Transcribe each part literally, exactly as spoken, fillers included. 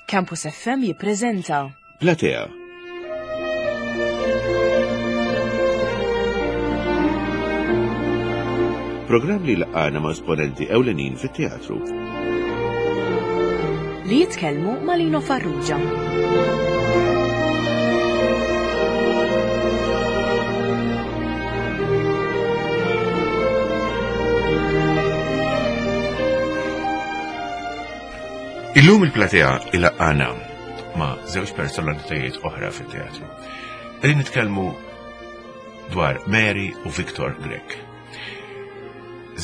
Campus F M jippreżenta Platea. Programm li laqana ma' esponenti ewlenin fit-teatru. Li jitkellmu ma' Lino Farrugia. Illum il-platea ilaqana ma' żewġ personalitajiet oħra fit-teatru. Qegħdin nitkellmu dwar Mary u Victor Grech.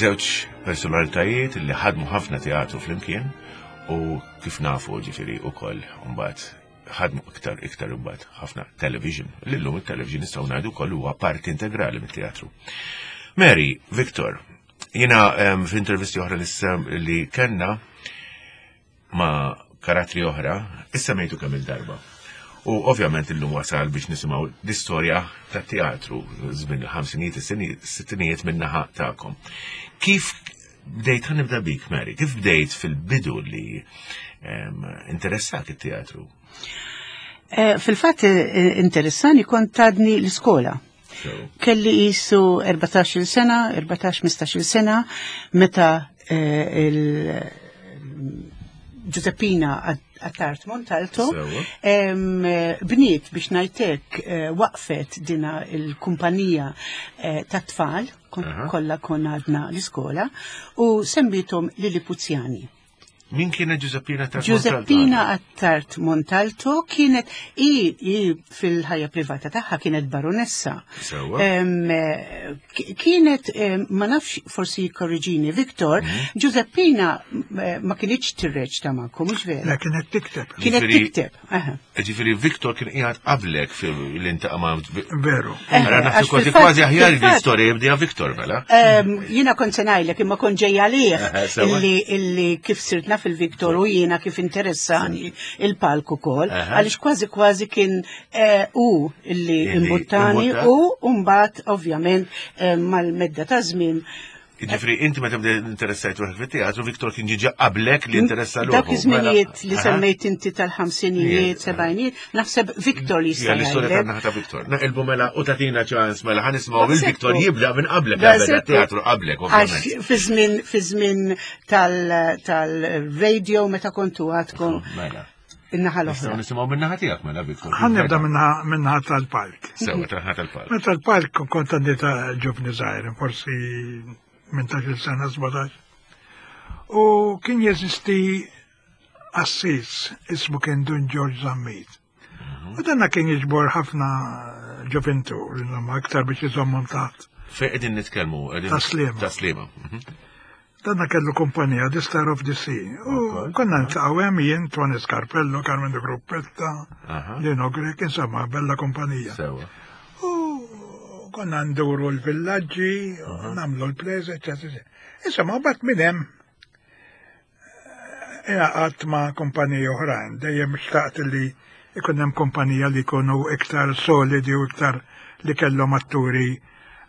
Żewġ personalitajiet li ħadmu ħafna teatru flimkien u kif nafu ġifieri ukoll mbagħad ħadmu iktar iktar imbagħad ħafna television. Illum it-television nistgħu ngħidu wkoll huwa parti integrali mit-teatru. Mary, Victor, jiena em, f'intervisti oħra li sem- li kellna ma' karattri oħra, issa mejtu kemm il-darba. U ovvjament illum wasal biex nisimgħu l-istorja tat teatru żmien il-ħamsinijiet, is-sittinijiet min-naħa tagħkom. Kif bdejt, ħa nibda bik, Mary, kif bdejt fil-bidu li em, interessak it-teatru? Eh, Fil-fatt eh, interessani kont għadni l-iskola. So, Kelli jisu erbatax-il sena, erbatax ħmistax-il sena, meta eh, il Giuseppina Attard Montalto Sewa. em, eh, bniet biex ngħidlek eh, waqfet dina il-kumpanija eh, ta' tfal, kon- Aha. kollha konna għadna l-iskola, u semmiethom Lillipuzjani. Min kienet Giuseppina Attard? Giuseppina Attard Montalto kienet i, i fil-ħajja privata tagħha kienet baronessa. Sewa. Em, eh, ki- kienet, em, ma nafx, forsi korriġini Victor, Mhm. Giuseppina eh, ma kinitx tirreċta magħkom, mhux vera? La kienet tikteb. Kienet Ġifieri- tikteb. Aha. Ġifieri Victor kien qiegħed qablek fil-intaqa ma' Veru. Eh, Ara naħseb għax kważi fil-fatt- kważi aħjar fil-fatt- l-istorja jibdija Victor mela. Em, Jiena kont se ngħidlek imma kont ġejja għalih Aha, sewa. illi illi kif sirt naf il-Victor u jiena kif interessani il-palk ukoll, Aha. għaliex kważi kważi kien eh, u illi Illi imbuttani imbutta. u mbagħad ovvjament eh, mal-medda ta' żmien. Ġifieri inti meta bdejt interessajt ruħek fit-teatru, Victor kien ġiġa qablek li interessa ruħu. Dak iż-żminijiet li Aha. semmejt inti tal-ħamsinijiet, sebgħinijiet, naħseb Victor li Ja, jista' l-istorja jgħidlek. tan-naħa ta' Victor. Naqilbu mela u tatina ċans mela ħa nisimgħu Daqshekk il-Victor hu. jibda minn qablek qabel Daqshekk hu. teatru qablek Għax ovvjament. fi żmien fi żmien tal- tal-radio meta kontu għadkom Mela. in-naħa Nistgħu l-oħra. nisimgħu minn naħa tiegħek mela, Victor. Ħa nibda minna tal-palk. Sewa tan-naħa tal-palk. Meta l-palk kont għandi ta' ġuvni żgħir, forsi tmintax-il sena, sbatax. U kien jeżisti qassis, ismu kien Dun George Zammit. U danna kien jiġbor ħafna ġovintur, insomma, aktar biex iżommhom taħt. Fejn qegħdin nitkellmu? Qegħdin- Tas-Sliema. Tas-Sliema. Mhm. Danna kellu kumpanija, The Star of the Sea. U Ok. konna niltaqgħu hemm jien, Tony Scarpello, Carmen de Gruppetta, Aha. Lino Grech, insomma, bella kumpanija. Sewa. U konna nduru l-villaġġi, nagħmlu l-plays, eccetera. Insomma, bat minn hemm ingħaqadt ma' kumpanija oħrajn, dejjem xtaqt li ikun hemm kumpanija li jkunu iktar solidi u iktar li kellhom atturi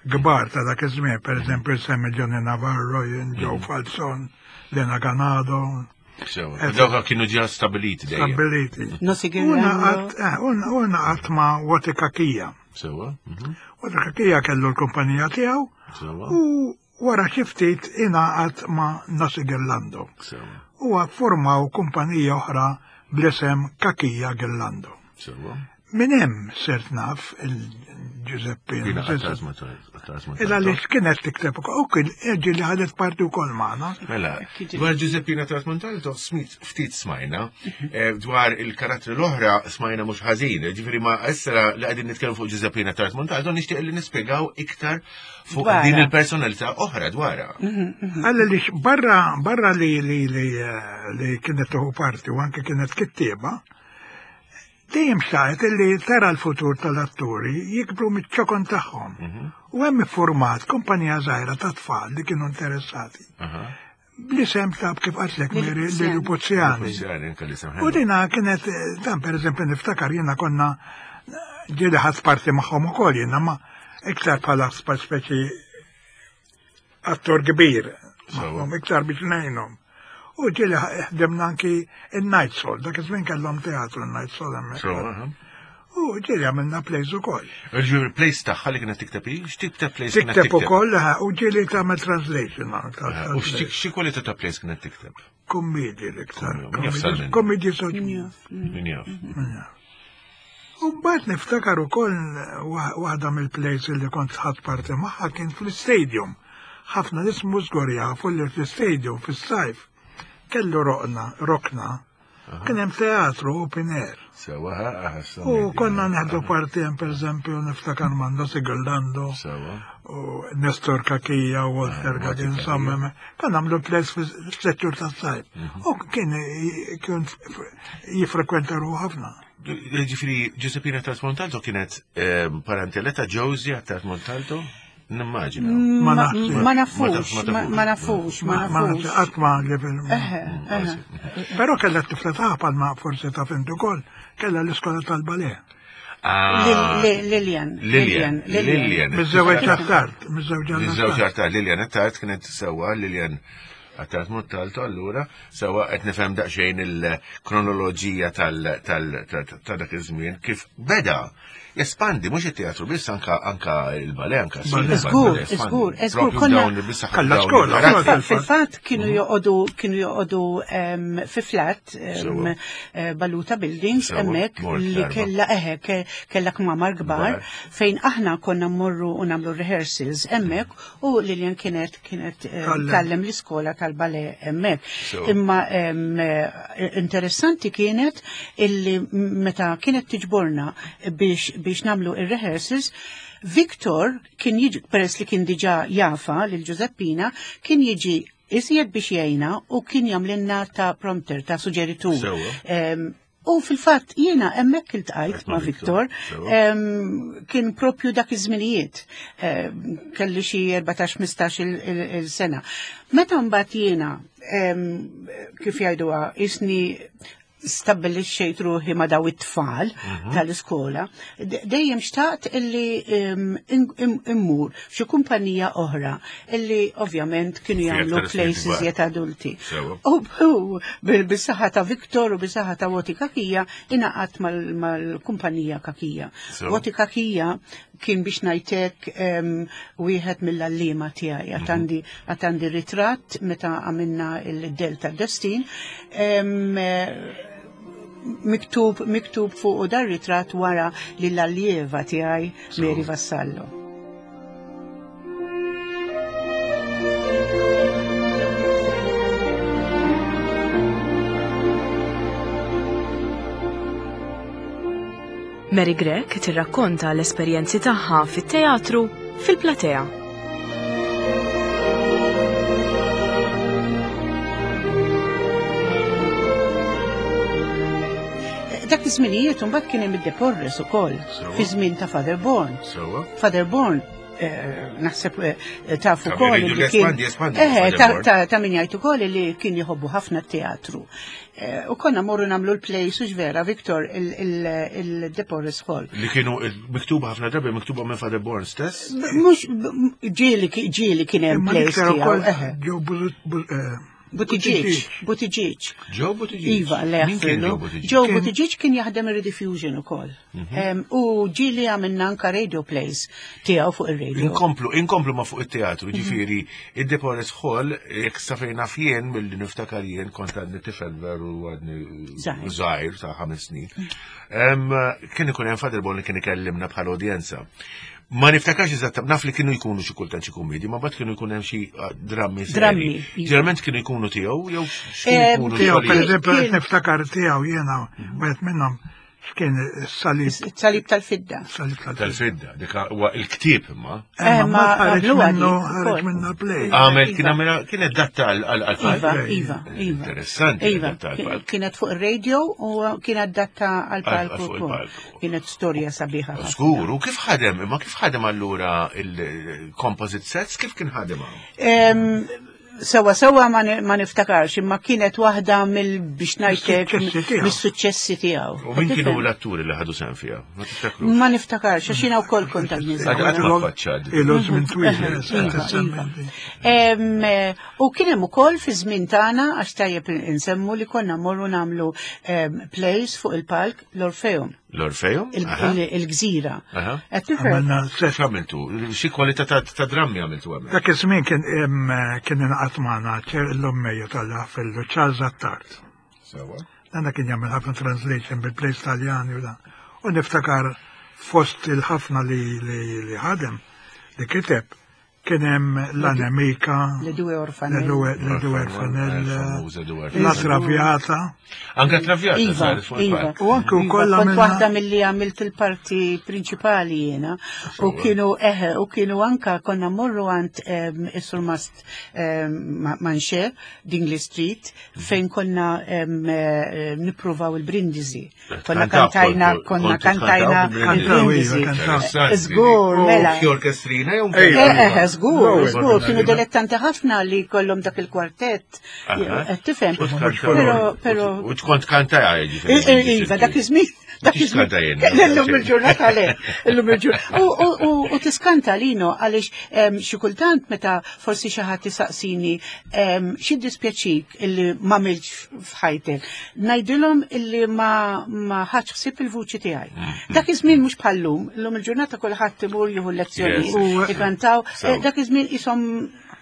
kbar ta' dak iż-żmien, per eżempju semmi Johnny Navarro, jien Joe Falzon, Lena Ganado, Sewa. Eh, Dawk kienu ġa stabiliti dejjem. stabiliti. Nosi U Girlando. ngħaqadt eh, u ngħaqadt ma' Woti Kakija. Sewa. mhm. Woti Kakija kellu l-kumpanija tiegħu Sewa. u wara xi ftit ingħaqad ma' Nasi Girlando. Sewa. U formaw kumpanija oħra bl-isem Kakija Girlando. Sewa. Minn hemm sirt naf il-Giuseppina. Pina Attard Montalto. Illa li kienet tikteb u kien ġi li ħadet parti wkoll magħna. Mela, dwar Giuseppina Attard Montalto smit ftit smajna, eh, dwar il-karattri l-oħra smajna mhux ħażin, ġifieri ma issa li qegħdin nitkellmu fuq Giuseppina Attard Montalto nixtieq li nispjegaw iktar fuq Dwarha. din il-personalità oħra dwarha. Għalla li barra, barra li, li, li, eh, li kienet tuħu parti u anke kienet kittieba, dejjem xtaqet li tara l-futur tal-atturi jikbru miċ-ċokon tagħhom. U hemm iffurmat kumpanija żgħira ta' tfal li kienu interessati. Aha. Bl-isem ta' kif qaltlek Mary Lillipuzjani. Lillipuzjani. Puzzjani, anke li U dina kienet, eh, dan per eżempju niftakar jiena konna ġieli ħadt parti magħhom ukoll jiena ma iktar bħala speċi attor kbir magħhom, iktar biex ngħinhom. U ġieli ħdemna anki il-Night Soul, dak iż-żmien kellhom teatru il-Night Soul hemmhekk. U ġieli għamilna plays ukoll. Ġifieri plays tagħha li kienet tikteb hi, x'tip ta' plays kienet tikteb? Tikteb ukoll, u ġieli tagħmel translation. U xi kwalità ta' plays kienet tikteb? Kommedji l-iktar. Kommedji soċjali. Min jaf. U mbagħad niftakar ukoll waħda mill-plays li kont ħadt parti magħha kien fl-istadium. Ħafna nies mhux żgur jafu li fl-istadium fis-sajf kellu roqna, rokna, kien hemm teatru open air. Sewa, U konna neħdu parti hemm pereżempju niftakar Mando Sigurlando. Sewa. U Nestor Kakija u Walter Kakija, insomma, konna nagħmlu plays fis-settur tas-sajf. U kien kien jifrekwenta ruħu ħafna. Ġifieri Giuseppina Attard Montalto kienet parentela ta' Josie Attard Montalto? Nimmaġina. Ma nafux, ma nafux, ma nafux. Qatt ma level. Però kellha t-tifla tagħha bħalma forsi taf int ukoll, kellha l-iskola tal-ballet. Lilian. Lilian. Lilian. Miż-żewġ Attard, miż-żewġ Miż-żewġ Attard, Lilian Attard kienet sewwa Lilian Attard Montalto allura sewwa qed nifhem daqsxejn il-kronoloġija tal ta' dak iż-żmien kif beda jespandi mhux it-teatru biss anka anka il-ballet anka Żgur, żgur, żgur konna Kalla skola. Fil-fatt kienu joqogħdu kienu joqogħdu fi flat Baluta Buildings hemmhekk li kellha eħe kellha kmamar kbar fejn aħna konna mmorru u nagħmlu rehearsals hemmhekk u Lilian kienet kienet tgħallem l-iskola tal-ballet hemmhekk. Imma interessanti kienet illi meta kienet tiġborna biex biex namlu il-rehearsals, Victor kien jiġi, peress li kien diġa jafa lil Giuseppina, kien jiġi iżjed biex jgħinna u kien jagħmlilna ta' prompter, ta' suġġeritur. U fil-fatt jiena hemmhekk iltqajt ma' Victor, kien propju dak iż-żminijiet, kelli xi erbatax ħmistax il-sena. Meta mbagħad jiena kif jgħiduha isni stabbilixxejt ruħi ma' daw it-tfal tal-iskola, dejjem xtaqt illi immur f'xi kumpanija oħra illi ovvjament kienu jagħmlu plays iżjed adulti. U bis-saħħa ta' Victor u bis-saħħa ta' Woti Kakija ingħaqadt mal-kumpanija Kakija. Woti Kakija kien biex ngħidlek wieħed mill-għalliema tiegħi, għad għandi ritratt meta għamilna il-Delta Destin, miktub miktub fuq dar ritratt wara lill-allieva tiegħi Mary Vassallo. Mary Grech tirrakkonta l-esperjenzi tagħha fit-teatru fil-platea. Dak iż-żminijiet imbagħad kien hemm id-Deporres ukoll fi żmien ta' Father Born. Father Born naħseb taf ukoll li kien ta' min jgħid ukoll li kien jħobbu ħafna t-teatru. U konna morru nagħmlu l-plays u vera Victor il-Deporres Hall. Li kienu miktuba ħafna drabi miktuba minn Father Born stess? Mhux ġieli ġieli kien hemm plays tiegħu. Buttigieg, Buttigieg. Joe Buttigieg? Iva, le jaħfirlu. Joe Buttigieg kien jaħdem il-Rediffusion ukoll. U ġieli għamilna anka radio plays tiegħu fuq ir-radio. Inkomplu, inkomplu ma fuq it-teatru, ġifieri id-Deporres Hall, jekk sa fejn naf jien milli niftakar jien kont għadni tifel veru għadni żgħir ta' ħames snin. Kien ikun hemm Father Born li kien ikellimna bħala udjenza. Ma niftakarx eżatt, naf li kienu jkunu xi kultant xi kummedji, ma mbagħad kienu jkun hemm xi drammi Drammi. Ġeneralment kienu jkunu tiegħu jew x'kienu jkunu tiegħu. Pereżempju qed niftakar tiegħu jiena wieħed minnhom x'kien is-salib. Salib tal-fidda. Salib tal-fidda, dik huwa il-ktieb imma. Ma ħareġ minnu ħareġ minnu play. Għamel kien għamel kien adatta għal Iva, iva, iva. Interessanti. Iva, kienet fuq ir-radio u kien adatta għal palku. Kienet storja sabiħa. Żgur, u kif ħadem, imma kif ħadem allura il-composite sets, kif kien ħadem? Sewa sewa ma niftakarx, imma kienet waħda mill biex ngħidlek mis-suċċessi tiegħu. U min kienu l-atturi li ħadu sehem fiha? Ma tiftakrux? Ma niftakarx, għax jiena wkoll kont għal Ilu żmien twil. U kien hemm ukoll fi żmien tagħna, għax tajjeb insemmu li konna mmorru nagħmlu plays fuq il-palk l-Orfeum. L-Orfeum? Il-Gżira. X'għamiltu? Xi kwalità ta' drammi għamiltu hemmhekk? Dak iż-żmien kien kien ingħaqad magħna l-ommejju tal-ħafillu Charles Attard. Sewa. Dan kien jagħmel ħafna translation bil-plays Taljani u dan. U niftakar fost il-ħafna li li ħadem li kiteb kien hemm l-Anemika, Le Due Orfanelle, Le Due Orfanelle, La Traviata. Anke Traviata. Iva, iva. U anke wkoll kont waħda milli għamilt il-parti prinċipali jiena. U kienu eħe, u kienu anka konna mmorru għand is-Surmast Manche, Dingley Street, fejn konna nippruvaw il-Brindisi. Konna kantajna, konna kantajna il-Brindisi. Żgur, mela. Xi orkestrina jew Eħe, żgur, żgur, kienu dilettanti ħafna li kollhom dak il-kwartett. Tifhem. Però però U tkont kantaja jiġifieri. Iva, dak iż-żmien. Dak iż-żmien. Illum il-ġurnata le, illum il-ġurnata. U tiskanta lino għaliex xi kultant meta forsi xi ħadd isaqsini xi dispjaċik illi ma milx f'ħajtek. Ngħidilhom illi ma ma ħadx ħsieb il-vuċi tiegħi. Dak iż-żmien mhux bħallum, illum il-ġurnata kulħadd imur jieħu lezzjoni, ikantaw. Dak iż-żmien ishom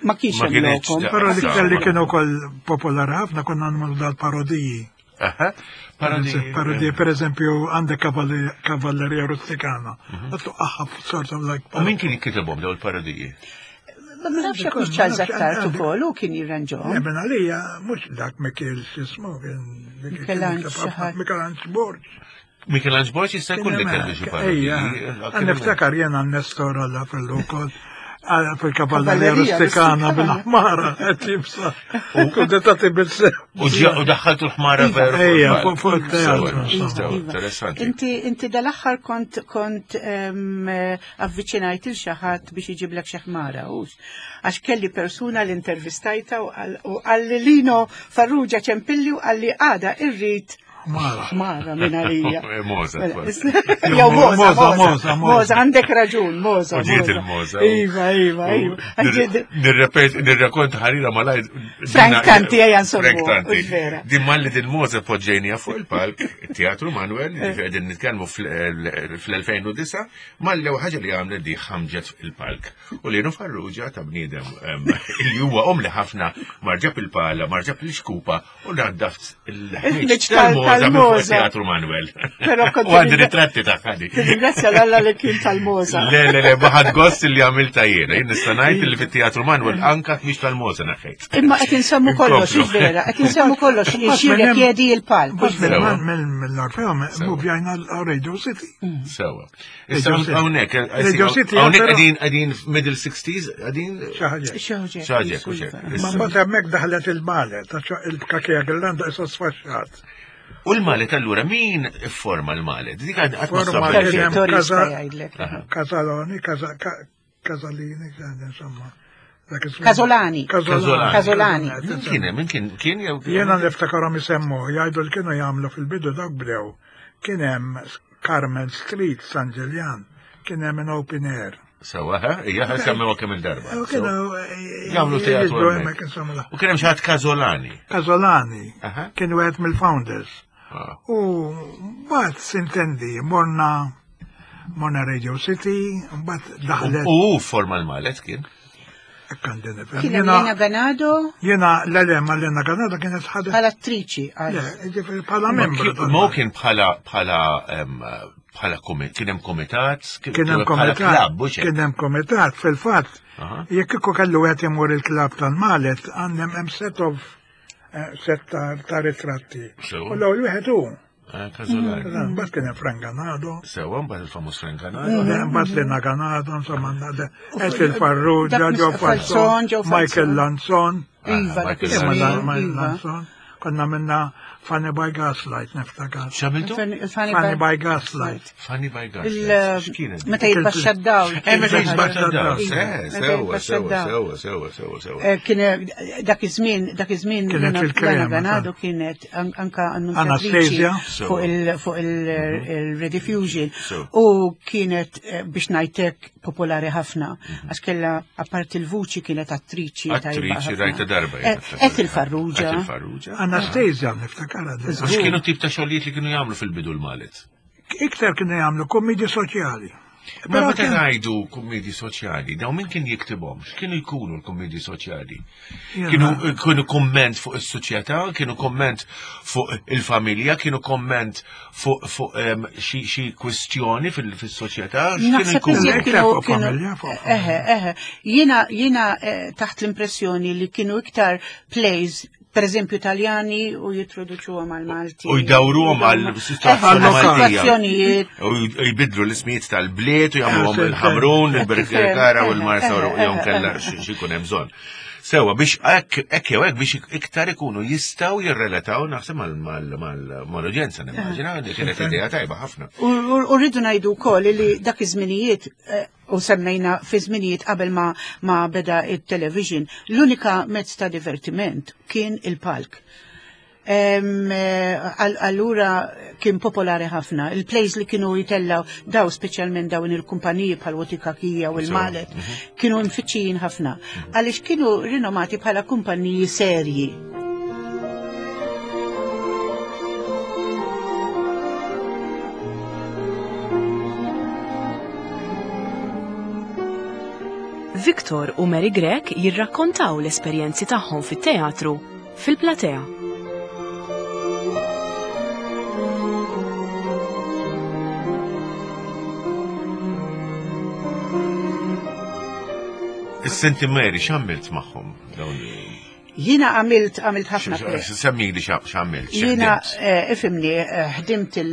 ma kienx hemm lokom. Però l-iktar li kienu wkoll popolari ħafna konna nagħmlu dal-parodiji. Parodiji, per eżempju, għandek Kavalleria Rusticana. Għattu aħħa sort of like. U min kien jiktibhom dawn il-parodiji? Ma nafx jekk hux Charles Attard ukoll u kien jirranġhom. Eben għalija mhux dak Mikiel x'ismu kien Michelangelo Borg. Michelangelo Borg jista' jkun li kellu xi parodiji. Niftakar jiena Nestor għalla fil-ukoll fil-Kavalleria Rusticana bil-ħmara qed jibsa. U kudetati bil-sew. U daħħaltu l-ħmara veru. Ejja, fuq il-teatru. Interessanti. Inti inti dal-aħħar kont kont avviċinajt il xi ħadd biex iġiblek xi ħmara, hux. Għax kelli persuna li intervistajta u qalli Lino Farrugia ċempilli u qalli għada irrid Mara minn għalija. Moza. Jew Moza, Moza, Moza, għandek raġun, Moza. U ġiet il-Moza. Iva, iva, iva. Nirrakkonta ħarira malajr. Frank Tanti, ejja nsommu. Frank Tanti. Din malli din Moza poġġejnija fuq il-palk, Teatru Manuel, qegħdin nitkellmu fl-elfejn u disa', malli ħaġa li għamlet di ħamġet il-palk. U Lino Farrugia ta' bniedem li huwa omli ħafna marġab il-pala, marġab il-xkupa u naddaft il-ħmiġ tal-Moza. Tal-Moza. Teatru Manuel. Però kont U għandi ritratti ta' ħadi. Ringrazzja l-Alla li kien tal-Moza. Le, le, le, baħad gost li għamilta jiena. Jien nista' ngħid li fit-Teatru Manuel anka mhix tal-Moza naħejt. Imma qed insemmu kollox, vera, qed insemmu kollox xi jedi il-palk. Mill-Orfeo muvjajna l-Radio City. Sewa. Issa hawnhekk, hawnhekk qegħdin qegħdin middle sixties, qegħdin Xi ħaġa. Xi ħaġa, Ma mbagħad hemmhekk daħlet il-malet, għax il-kakija Girlanda issa sfaxxat. U l-malet allura min forma l-malet? Dik għad Forma ma kien hemm Vittorio Casa- jista' jgħidlek. Casaloni, Casa- Ca- Casalini, insomma. Dak iż-żmien. Casolani. Casolani. Casolani. Min kien hemm? Min kien kien jew Jiena niftakarhom isemmu, jgħidu li kienu jagħmlu fil-bidu dawk bdew. Kien hemm Carmel Street, San Ġiljan, kien hemm an open air. Sewa, ha? Ija semmew kemm il-darba. U kienu Jagħmlu teatru jiġbru hemmhekk. hemmhekk, insomma. U kien hemm xi ħadd Casolani. Casolani Aha. kien wieħed mill-founders. Ah. U mbagħad sintendi morna morna Radio City, mbagħad daħlet U hu forma l-malet kien. hekk għandi nifhem. Kien hemm Jiena Lena Ganado jiena l-elem Lena Ganado kienet ħadet bħala attriċi. Le, ġifieri bħala membru. Ma hu kien bħala bħala em, bħala komi- kien hemm komitat, Kien hemm bħala komitat. klabb, mhux hekk? Kien hemm komitat fil-fatt. Aha. Jekk kieku kellu qed imur il-klabb tal-Malet, għandhem hemm set of eh, set ta' ta' ritratti. Sewa. U l-ewwel wieħed hu. Ah, Casolani. Mbagħad kien hemm Frank Ganado. Sewa, mbagħad il-famuż Frank Ganado. Mbagħad Lena Ganado, insomma, Ethel Farrugia, Dak Joe Falzon, Falzon, Joe Michael Falzon. Lanzon. Iva, dak Michael iż-żmien, Imma iva. Lanzon. Konna minna Funny by Gaslight, niftakar. X'għamiltu? Funny by Gaslight. Funny by Gaslight. X'kienet? Meta jitbaxxa d-dawl. Eh, meta jitbaxxa d-dawl. Sewa, sewa, sewa, sewa, sewa, sewa. Kien dak iż-żmien, dak iż-żmien Lana Ganado kienet anka annunzjatriċi fuq il-Rediffusion u kienet biex ngħidlek popolari ħafna għax kellha apparti il-vuċi kienet attriċi. Attriċi rajta darba. Ethel Farrugia. Ethel Farrugia. Anastasia niftakar. Għax kienu tip ta' xogħlijiet li kienu jagħmlu fil-bidu l-Malet? Iktar kienu jagħmlu kummedji soċjali. Ma meta ngħidu kummedji soċjali, dawn min kien jiktibhom? X'kienu jkunu l-kummedji soċjali? Kienu kienu komment fuq is-soċjetà, kienu komment fuq il-familja, kienu komment fuq fuq xi kwistjoni fis-soċjetà, x'kienu jkunu? Eħe, eħe. Jiena jiena taħt l-impressjoni li kienu iktar plays per eżempju Taljani u jitroduċuhom għal Malti. U jdawruhom għal situazzjonijiet. U jbidlu l-ismijiet tal-bliet u jagħmluhom il-Ħamrun, il-Birkirkara u l-Marsa u jew kellha xi jkun hemm bżonn. Sewa biex hekk jew hekk biex iktar ikunu jistgħu jirrelataw naħseb mal-udjenza nimmaġina li kienet idea tajba ħafna. U rridu ngħidu wkoll li dak iż-żminijiet u semmejna fi żminijiet qabel ma, ma beda il-television, l-unika mezz ta' divertiment kien il-palk. Allura kien popolari ħafna. Il-plays li kienu jitellaw daw speċjalment dawn il-kumpaniji bħal Watty Cachia u l-Malet kienu mfittxijin ħafna. Għaliex kienu rinomati bħala kumpaniji serji. Victor u Mary Grech jirrakkontaw l-esperjenzi tagħhom fit-teatru fil-platea. Is-Senti Mary x'għamilt magħhom dawn? Jiena għamilt għamilt ħafna. Semmili x'għamilt. Jiena ifhimni ħdimt il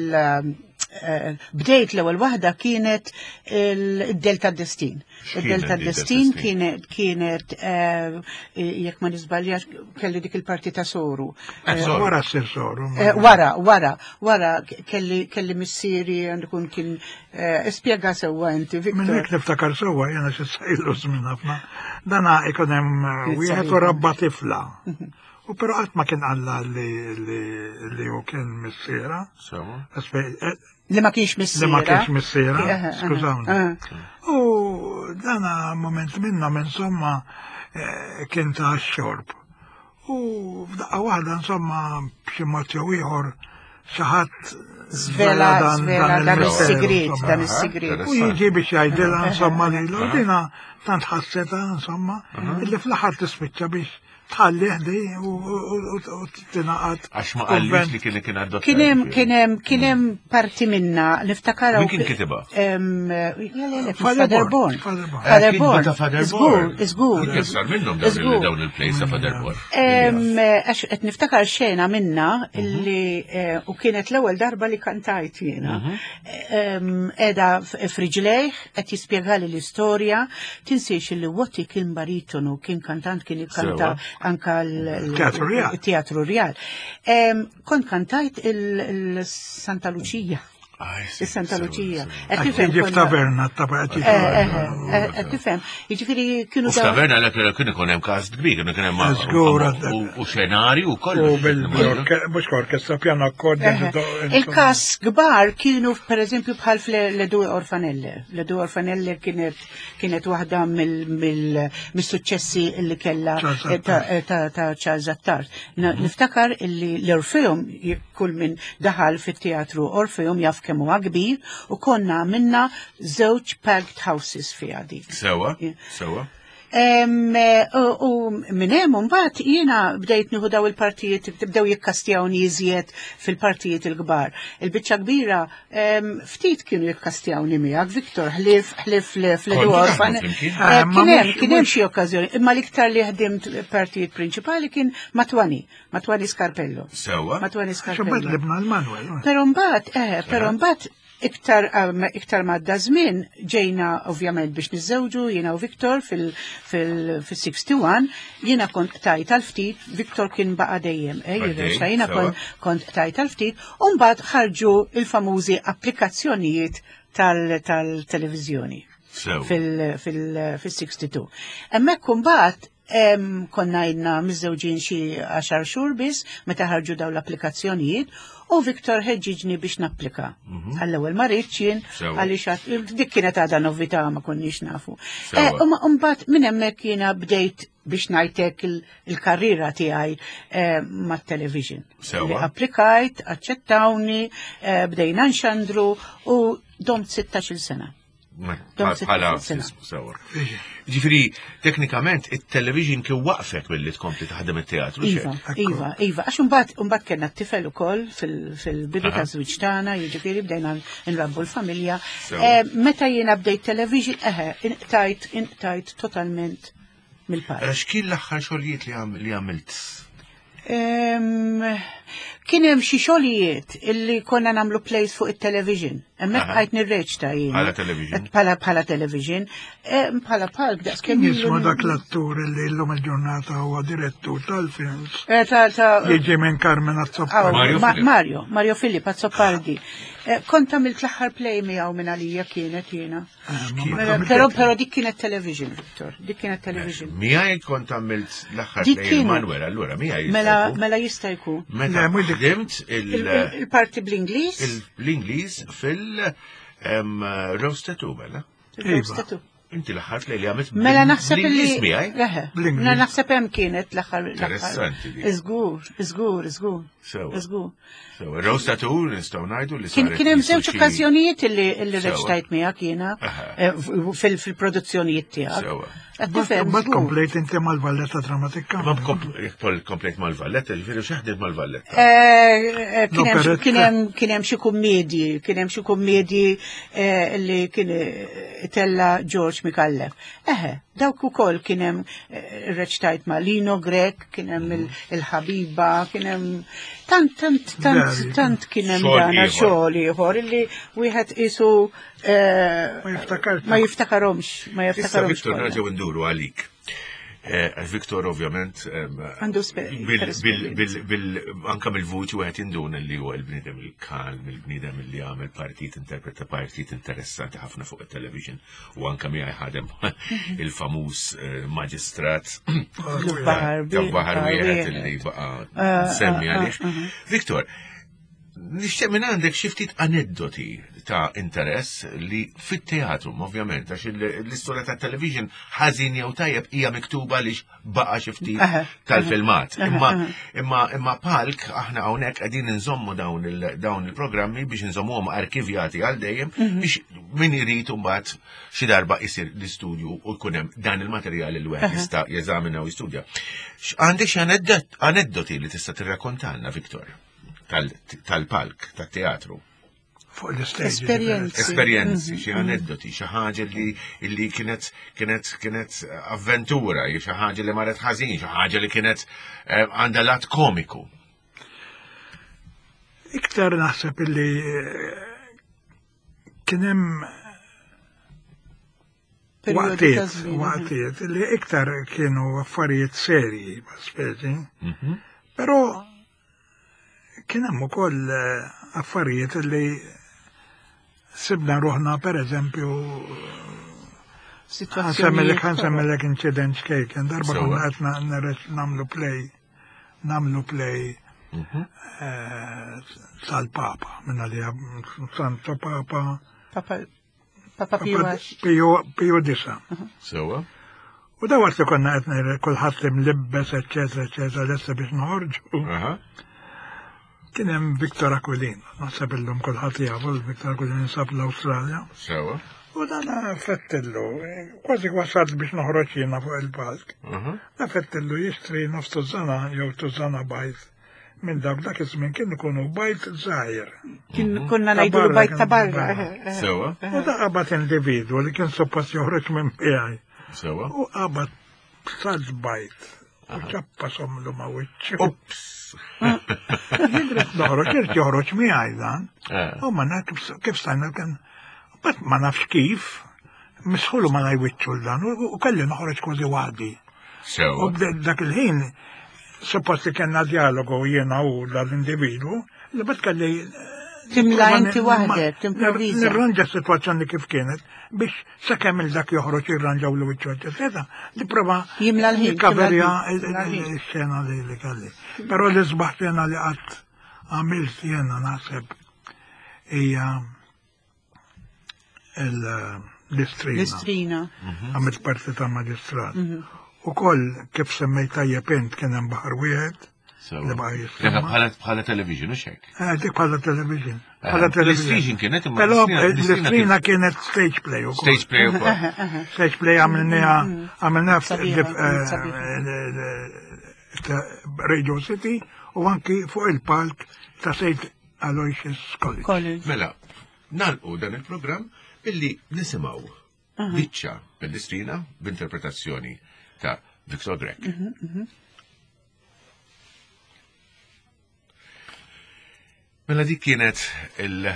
bdejt l-ewwel waħda kienet id-Delta Destin. Id-Delta Destin kienet kienet jekk ma nisbaljax kelli dik il-parti ta' Soru. Wara ssir Soru. Wara, wara, wara kelli kelli missieri għandikun kien ispjega sewwa inti, Victor. Minn hekk niftakar sewwa jiena xi sejlu żmien ħafna. Dana ikun hemm wieħed u rabba tifla. U però qatt ma kien qalla li hu kien missiera. Sewa. Li ma kienx missiera. Li ma kienx missiera, skużawni. U dana moment minnhom insomma kien ta' xorb. U f'daqqa waħda insomma b'xi mod jew ieħor xi ħadd żvela dan is-sigriet, dan is-sigriet. U jiġi biex jgħidilha insomma lilu dina tant ħasseta insomma illi fl-aħħar tispiċċa biex tħalli ħdi u tingħaqad. Għax ma qallix li kien kien adottat. Kien hemm kien hemm kien hemm parti minna niftakara. Min kien kitibha? Father Born. Father Born. Żgur, żgur. Kien sar minnhom dawn il-plays ta' Father Born. Għax qed niftakar xena minna li u kienet l-ewwel darba li kantajt jiena. Qiegħda f'riġlejh qed jispjegali l-istorja, tinsiex li Watty kien baritonu, kien kantant, kien jikkanta anka l-Teatru Real. Kont kantajt il-Santa Lucia. Il-Santa Lucia. Ġi f'taverna, Qed tifhem. Jiġifieri kienu. U f'taverna l kien ikun hemm kast kbir, kienu kien hemm u xenarju u kollox. U bil mhux orkestra, piano accordion. Il-kas kbar kienu pereżempju bħal Le Due Orfanelle. Le Due Orfanelle kienet kienet waħda mill-suċċessi li kellha ta' Charles Attard. Niftakar illi l-Orfeum kull min daħal fit-teatru Orfeum jaf kemm huwa kbir u konna għamilna żewġ packed houses fiha dik. Sewa, sewa. U minn hemm imbagħad jiena bdejt nieħu daw il-partijiet, bdew jikkastjawni iżjed fil-partijiet il-kbar. Il-biċċa kbira ftit kienu jikkastjawni miegħek, Victor, ħlief ħlief fl-Edu Orfan. Kien hemm kien hemm xi okkażjoni, imma l-iktar li ħdimt partijiet prinċipali kien Matwani, Matwani Scarpello. Sewa. Matwani Scarpello. Libna l-Manuel. Però mbagħad, eh, però mbagħad Iktar um, iktar madda żmien ġejna ovvjament biex niżżewġu jiena u Viktor fil-wieħed u sittin, jiena kont tajt għal ftit, Viktor kien baqa' dejjem, eh, Għaddej, jirreċta, jiena sewa. kont kont tajt għal ftit, u mbagħad ħarġu il-famużi applikazzjonijiet tal-televizjoni Sew. fil-sitta u sittin. Hemmhekk imbagħad em, konna ilna miżżewġin xi għaxar xhur biss meta ħarġu daw l-applikazzjonijiet u Viktor ħeġġiġni biex napplika. Għall-ewwel ma rridx jien Sewa. għaliex għat- dik kienet għadha novità, ma konniex nafu. Sewa. Eh, U ma- mbagħad minn hemmhekk jiena bdejt biex ngħidlek il- il-karriera tiegħi eh, mat-television. Sewa. Li applikajt, aċċettawni, eh, bdejna nxandru u domt sittax-il sena. Dom Bħala sena. sewa. Ġifieri, teknikament, il-television kien waqfek billi tkompli taħdem it-teatru, Iva, xek? iva, iva. Għax mbagħad mbagħad kellna t-tifel ukoll fil- fil-bidu Aha. ta' żwieġ tagħna, jiġifieri bdejna nrabbu l-familja. Sewa. Eh, Meta jiena bdejt television, eħe, inqtajt, inqtajt totalment mill-palk. X'kien l-aħħar xogħlijiet li għam- li għamilt? Em, Kien hemm xi xogħlijiet illi konna nagħmlu plays fuq it-television. Hemmhekk Aha. bqajt nirreċta jien. Bħala television? Bħala bħala television. Em, Bħala palk daqs Kien kemm jismu ilu- dak l-attur li llum il-ġurnata huwa direttur tal-films. Eh, ta' ta' Jiġi minn Carmen Aw, Azzopardi. Mario Ma- Filip. Mario, Mario Filip Azzopardi. Eh, Kont għamilt l-aħħar play miegħu minn għalija kienet jiena. Eh, ma- ma Mela, għamilt Però hekk. però dik kienet television, Victor. Dik kienet television. Miegħi kont għamilt l-aħħar Dik play kienet. Manuel, allura miegħi. Mela jista' jkun. mela jista' jkun. Meta Le, mhux dik- ħdimt Il- il- il- Il-parti bl-Ingliż? il- l-Ingliż fil-Rose Tattoo, mela. Il-Rose Inti l-aħħar play li għamilt Mela naħseb li. bl-Ingliż miegħi? Eħe, Bl-Ingliż. Mela naħseb hemm kienet l-aħħar. l-aħħar. Interessanti di. Iżgur, iżgur, iżgur. Sewa. Iżgur. So, Rose Tattoo nistgħu ngħidu li Kien saret kien hemm qisu żewġ xi- okkażjonijiet illi illi Sewa. reċtajt miegħek jiena Aha. eh, fil- fil-produzzjonijiet tiegħek. Sewa. Qed tifhem, Bad żgur. komplejt inti mal-Valletta Dramatic Ma Company. komplejt mal-Valletta, ġifieri x'ħdimt mal-Valletta. Eh, eh, kien hemm xi- L-operetta. kien hemm kien hemm xi kummedji, kien hemm xi kummedji eh, li kien eh, tella George Micallef. Eħe, dawk ukoll kien hemm eh, reċtajt ma' Lino Grech, kien hemm il- il-Ħabiba, kien hemm tant tant tant Veri. tant kien hemm Xogħol dana ieħor. xogħol ieħor illi wieħed isu eh, Ma jiftakarx. ma jiftakarhomx, ma Issa jiftakarhomx. Viktor kollha. nerġgħu nduru għalik. Eh, Viktor ovvjament em, Għandu spe- bil- iktar bil- bil- bil- anka mill-vuċi wieħed jinduna li huwa il-bniedem il-kalm, il-bniedem li għamel partit, interpreta partit interessanti ħafna fuq il-television u anka miegħi ħadem il-famuż eh, maġistrat Baħar ta' baħar wieħed wieħed. li baqa' Ah, semmi ah, għalih. ah, Viktor, nixtieq minn għandek xi ftit aneddoti ta' interess li fit-teatru, ovvjament, għax il- l-istorja ta' television ħażin jew tajjeb hija miktuba li baqa' xi ftit Aha, tal-filmat. aha, Imma aha. imma imma palk aħna hawnhekk qegħdin inżommu dawn il dawn il-programmi biex inżommuhom arkivjati għal dejjem Mhm. biex min irid imbagħad xi darba isir l-istudju u jkun hemm dan il-materjal li wieħed jista' jeżamina u jistudja. Għandek xi aneddot- aneddoti li tista' tirrakkontalna, Viktor, tal- tal-palk, tat-teatru? Fuq l-stage. Esperjenzi. Esperjenzi, xi aneddoti, xi ħaġa li li kienet kienet kienet avventura, xi ħaġa li marret ħażin, xi ħaġa li kienet eh, għandha lat komiku. Iktar naħseb illi eh, kien hemm Perjodi ta' waqtiet, żmien, waqtiet li iktar kienu affarijiet serji, speċi. Però kien hemm ukoll eh, affarijiet li sibna ruħna per eżempju Sitwazzjonijiet. ħa nsemmilek incident ċkejken, darba Sewa. konna qed na- nirreċ- nagħmlu play, nagħmlu play eh, tal-Papa, minna li Santo Papa, Papa Papa Pio għax. Pio Pio Disa. Sewa? U da waqt li konna qed nir- kulħadd imlibbes, eċetera, eċetera, lesta biex noħorġu. Aha. Kien hemm Victor Aquilin, naħseb illum kulħadd jafu Victor Aquilin sab l-Awstralja. Sewa. U dan fettillu, kważi wasalt biex noħroġ jiena fuq il-palk. Aha. Da fettillu jixtri nofs tużana jew tużana bajd minn dawk dak iż-żmien kien ikunu bajd żgħir. Kien konna Ta' ngħidu barra bajd ta' kien barra. barra. eħe, eħe. Sewa? U da qabad individwu li kien suppost joħroġ minn miegħi. Sewa? U qabad salt bajd. U ċappa somlu ma' wiċċu. Ups! Jien ridt noħroġ, irid joħroġ miegħi dan. Eh. U ma naf kif- kif stajna kien, bat ma nafx kif, misħulu ma najwiċċu l-dan, u u kelli noħroġ kważi waħdi. U Sewa. bde- dak il-ħin, suppost li kellna dialogu jiena u dal-individu, li bat kelli Timla ma- inti ma- waħdek, timprovviża. Nirranġa s-situazzjoni kif kienet biex sakemm il-dak joħroġ jirranġaw l wiċċu eċetera, li prova Jimla l-ħin, jikkaverja jimla l-ħin, jimla l-ħin. il-xena li li kelli. Però l-isbaħ xena li qatt għamilt jiena naħseb hija il- l-istrina. L-istrina. Għamilt parti ta' maġistrat. U koll kif semmejt tajjeb int kien hemm baħar wieħed Sewa. li baqa' Dak jissemma. Bħala bħala television, u xek? Eh, Dik bħala television. Eh, Bħala television. l-istriġin kienet imma Però l-istrina- l-istrina l-istrina kienet stage play u Stage play u kol. Stage play għamilniha għamilniha Sabiħa, kienet sabiħa. Radio City u anki fuq il-palk ta' Saint Aloysius College. College. Mela, nalqu dan il-programm billi nisimaw biċċa mill-istrina b'interpretazzjoni ta' Victor Grech. Mela dik kienet il-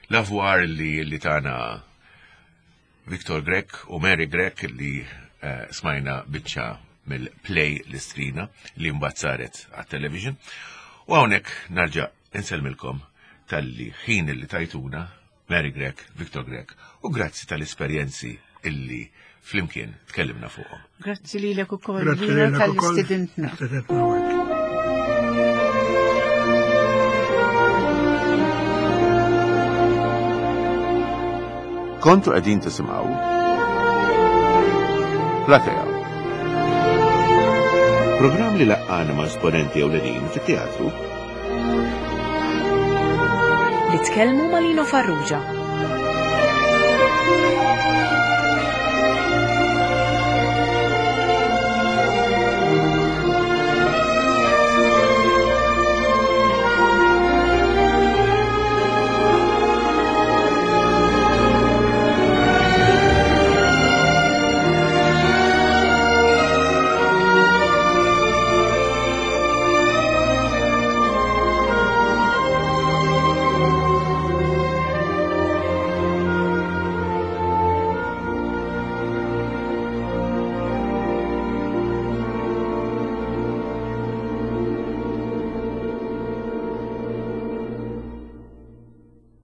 l-avwar li, li tana Victor Grech u Mary Grech li eh, smajna biċċa mill-play l-istrina li mbagħad saret għat-television. U hawnhekk narġa' insellmilkom tal-li ħin li tajtuna Mary Grech, Victor Grech u grazzi tal-esperjenzi illi flimkien tkellimna fuqhom. Grazzi lilek ukoll Grazzi Lino lilek ukoll. tal-istidentna. Istidentna u hekk. Kontu qegħdin tisimgħu Platea. Programm li laqqana ma' esponenti ewlenin fit-teatru Li tkellmu ma' Lino Farrugia.